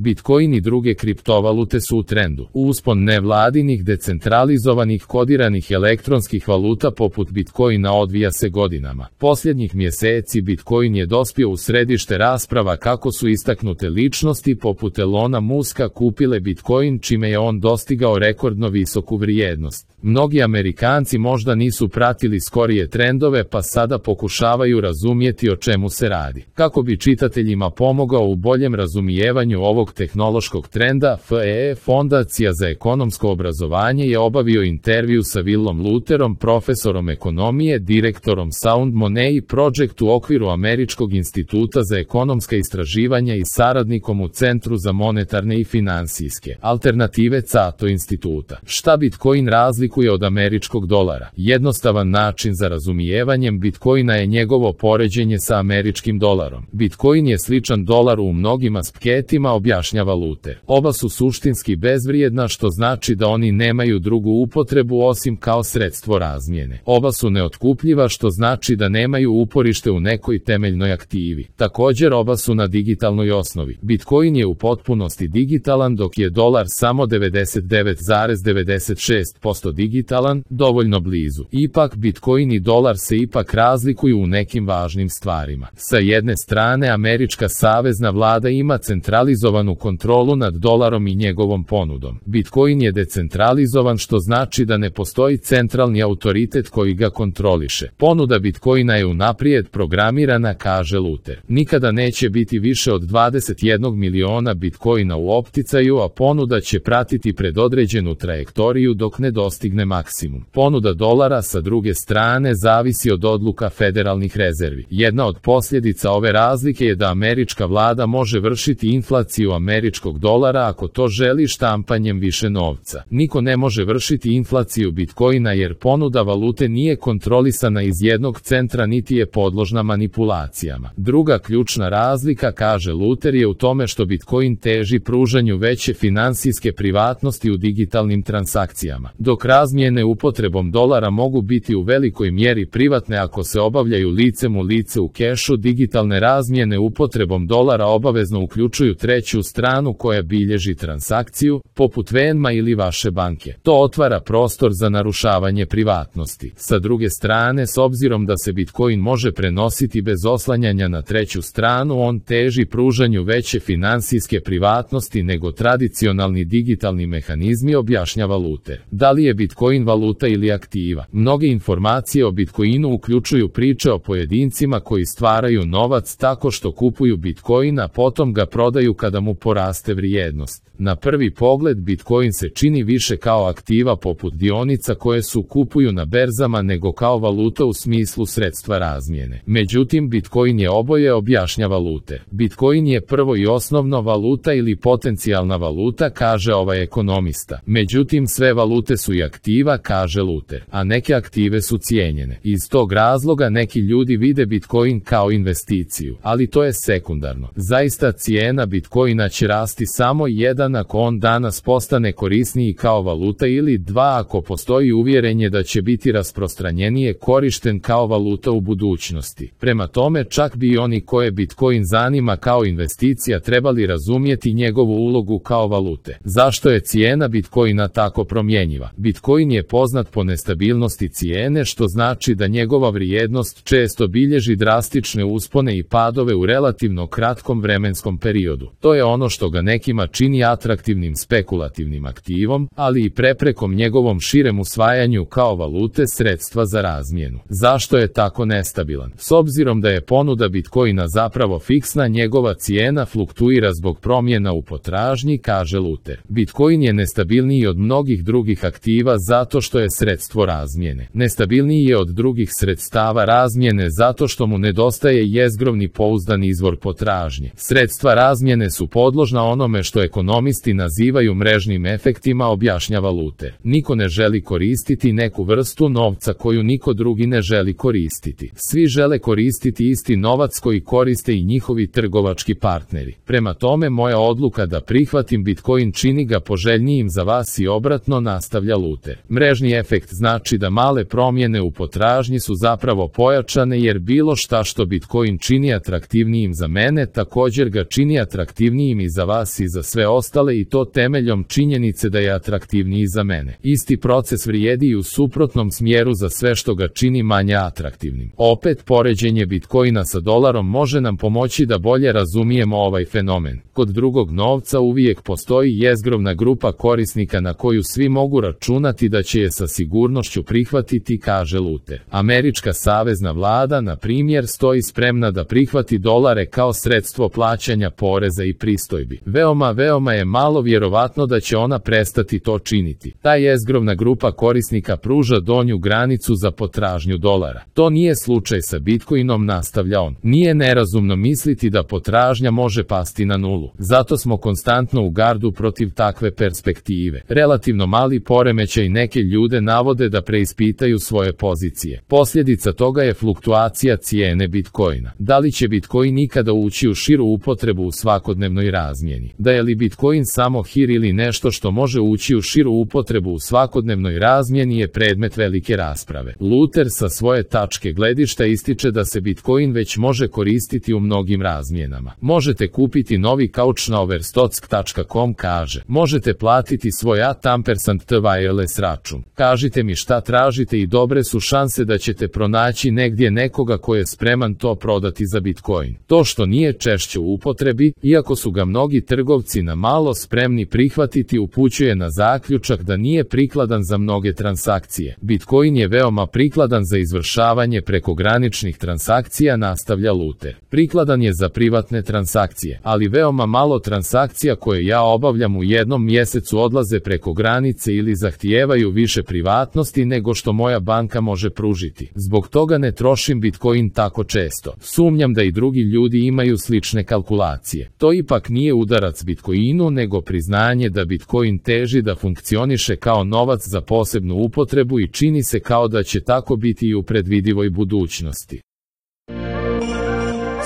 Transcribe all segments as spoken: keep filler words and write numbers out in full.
Bitcoin i druge kriptovalute su u trendu. Uspon nevladinih decentralizovanih kodiranih elektronskih valuta poput Bitcoina odvija se godinama. Posljednjih mjeseci Bitcoin je dospio u središte rasprava kako su istaknute ličnosti poput Elona Muska kupile Bitcoin, čime je on dostigao rekordno visoku vrijednost. Mnogi Amerikanci možda nisu pratili skorije trendove pa sada pokušavaju razumjeti o čemu se radi. Kako bi čitateljima pomogao u boljem razumijevanju ovog tehnološkog trenda, F E E Fondacija za ekonomsko obrazovanje je obavio intervju sa Willom Luterom, profesorom ekonomije, direktorom Sound Money Project u okviru Američkog instituta za ekonomska istraživanja i saradnikom u Centru za monetarne i finansijske alternative Cato instituta. Šta Bitcoin razlikuje od američkog dolara? Jednostavan način za razumijevanjem Bitcoina je njegovo poređenje sa američkim dolarom. Bitcoin je sličan dolaru u mnogim aspektima, objašnjava Luter. Oba su suštinski bezvrijedna, što znači da oni nemaju drugu upotrebu osim kao sredstvo razmjene. Oba su neotkupljiva, što znači da nemaju uporište u nekoj temeljnoj aktivi. Također oba su na digitalnoj osnovi. Bitcoin je u potpunosti digitalan, dok je dolar samo devedeset devet zarez devedeset šest posto digitalan, dovoljno blizu. Ipak Bitcoin i dolar se ipak razlikuju u nekim važnim stvarima. Sa jedne strane, američka savezna vlada ima centralizovanu kontrolu nad dolarom i njegovom ponudom. Bitcoin je decentralizovan, što znači da ne postoji centralni autoritet koji ga kontroliše. Ponuda Bitcoina je unaprijed programirana, kaže Luter. Nikada neće biti više od dvadeset jedan miliona Bitcoina u opticaju, a ponuda će pratiti predodređenu trajektoriju dok ne dostigne maksimum. Ponuda dolara sa druge strane zavisi od odluka federalnih rezervi. Jedna od posljedica ove razlike je da američka vlada može vršiti inflaciju američkog dolara ako to želi štampanjem više novca. Niko ne može vršiti inflaciju Bitcoina jer ponuda valute nije kontrolisana iz jednog centra niti je podložna manipulacijama. Druga ključna razlika, kaže Luter, je u tome što Bitcoin teži pružanju veće finansijske privatnosti u digitalnim transakcijama. Dok razmjene upotrebom dolara mogu biti u velikoj mjeri privatne ako se obavljaju licem u lice u kešu, digitalne razmjene upotrebom dolara obavezno uključuju treću stranu koja bilježi transakciju, poput Venma ili vaše banke. To otvara prostor za narušavanje privatnosti. Sa druge strane, s obzirom da se Bitcoin može prenositi bez oslanjanja na treću stranu, on teži pružanju veće finansijske privatnosti nego tradicionalni digitalni mehanizmi, objašnjava Luter. Da li je Bitcoin valuta ili aktiva? Mnoge informacije o Bitcoinu uključuju priče o pojedincima koji stvaraju novac tako što kupuju Bitcoin, a potom ga prodaju kada mu poraste vrijednost. Na prvi pogled Bitcoin se čini više kao aktiva poput dionica koje su kupuju na berzama nego kao valuta u smislu sredstva razmjene. Međutim, Bitcoin je oboje, objašnjava Luter. Bitcoin je prvo i osnovno valuta ili potencijalna valuta, kaže ovaj ekonomista. Međutim, sve valute su i aktiva, kaže Luter, a neke aktive su cijenjene. Iz tog razloga neki ljudi vide Bitcoin kao investiciju, ali to je sekundarno. Zaista cijena Bitcoina će rasti samo jedan ako on danas postane korisniji kao valuta ili dva ako postoji uvjerenje da će biti rasprostranjenije korišten kao valuta u budućnosti. Prema tome, čak bi i oni koje Bitcoin zanima kao investicija trebali razumjeti njegovu ulogu kao valute. Zašto je cijena Bitcoina tako promjenjiva? Bitcoin je poznat po nestabilnosti cijene, što znači da njegova vrijednost često bilježi drastične uspone i padove u relativno kratkom vremenskom periodu. To je ono što ga nekima čini atraktivnim spekulativnim aktivom, ali i preprekom njegovom širem usvajanju kao valute, sredstva za razmjenu. Zašto je tako nestabilan? S obzirom da je ponuda Bitcoina zapravo fiksna, njegova cijena fluktuira zbog promjena u potražnji, kaže Luter. Bitcoin je nestabilniji od mnogih drugih aktiva zato što je sredstvo razmjene. Nestabilniji je od drugih sredstava razmjene zato što mu nedostaje jezgrovni pouzdan izvor potražnje. Sredstva razmjene su podložna onome što ekonomisti nazivaju mrežnim efektima, objašnjava Luter. Niko ne želi koristiti neku vrstu novca koju niko drugi ne želi koristiti. Svi žele koristiti isti novac koji koriste i njihovi trgovački partneri. Prema tome, moja odluka da prihvatim Bitcoin čini ga poželjnijim za vas i obratno, nastavlja Luter. Luter. Mrežni efekt znači da male promjene u potražnji su zapravo pojačane jer bilo šta što Bitcoin čini atraktivnijim za mene također ga čini atraktivnijim i za vas i za sve ostale i to temeljom činjenice da je atraktivniji za mene. Isti proces vrijedi i u suprotnom smjeru za sve što ga čini manje atraktivnim. Opet, poređenje Bitcoina sa dolarom može nam pomoći da bolje razumijemo ovaj fenomen. Kod drugog novca uvijek postoji jezgrovna grupa korisnika na koju svi mogu računati da će je sa sigurnošću prihvatiti, kaže Luter. Američka savezna vlada, na primjer, stoji spremna da prihvati dolare kao sredstvo plaćanja poreza i pristojbi. Veoma, veoma je malo vjerovatno da će ona prestati to činiti. Ta jezgrovna grupa korisnika pruža donju granicu za potražnju dolara. To nije slučaj sa Bitcoinom, nastavlja on. Nije nerazumno misliti da potražnja može pasti na nulu. Zato smo konstantno u gardu protiv takve perspektive. Relativno mali poremećaj neke ljude navode da preispitaju svoje pozicije. Posljedica toga je fluktuacija cijene Bitcoina. Da li će Bitcoin nikada ući u širu upotrebu u svakodnevnoj razmjeni? Da je li Bitcoin samo hir ili nešto što može ući u širu upotrebu u svakodnevnoj razmjeni je predmet velike rasprave. Luter sa svoje tačke gledišta ističe da se Bitcoin već može koristiti u mnogim razmjenama. Možete kupiti novi kauč na overstock tačka com, kaže. Možete platiti svoj at ampersand t wireless račun. Kažite mi šta tražite i dobre su šanse da ćete pronaći negdje nekoga ko je spreman to prodati za Bitcoin. To što nije češće u upotrebi, iako su ga mnogi trgovci na malo spremni prihvatiti, upućuje na zaključak da nije prikladan za mnoge transakcije. Bitcoin je veoma prikladan za izvršavanje prekograničnih transakcija, nastavlja Luter. Prikladan je za privatne transakcije, ali veoma malo transakcija koje ja obavljam u jednom mjesecu odlaze preko granice ili zahtijevaju više privatnosti nego što moja banka može pružiti. Zbog toga ne trošim Bitcoin tako često. Sumnjam da i drugi ljudi imaju slične kalkulacije. To ipak nije udarac Bitcoinu nego priznanje da Bitcoin teži da funkcioniše kao novac za posebnu upotrebu i čini se kao da će tako biti i u predvidivoj budućnosti.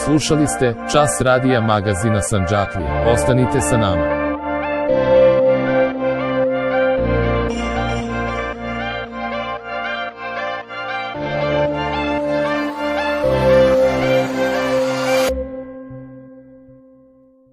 Slušali ste Čas radija magazina Sandžaklije. Ostanite sa nama.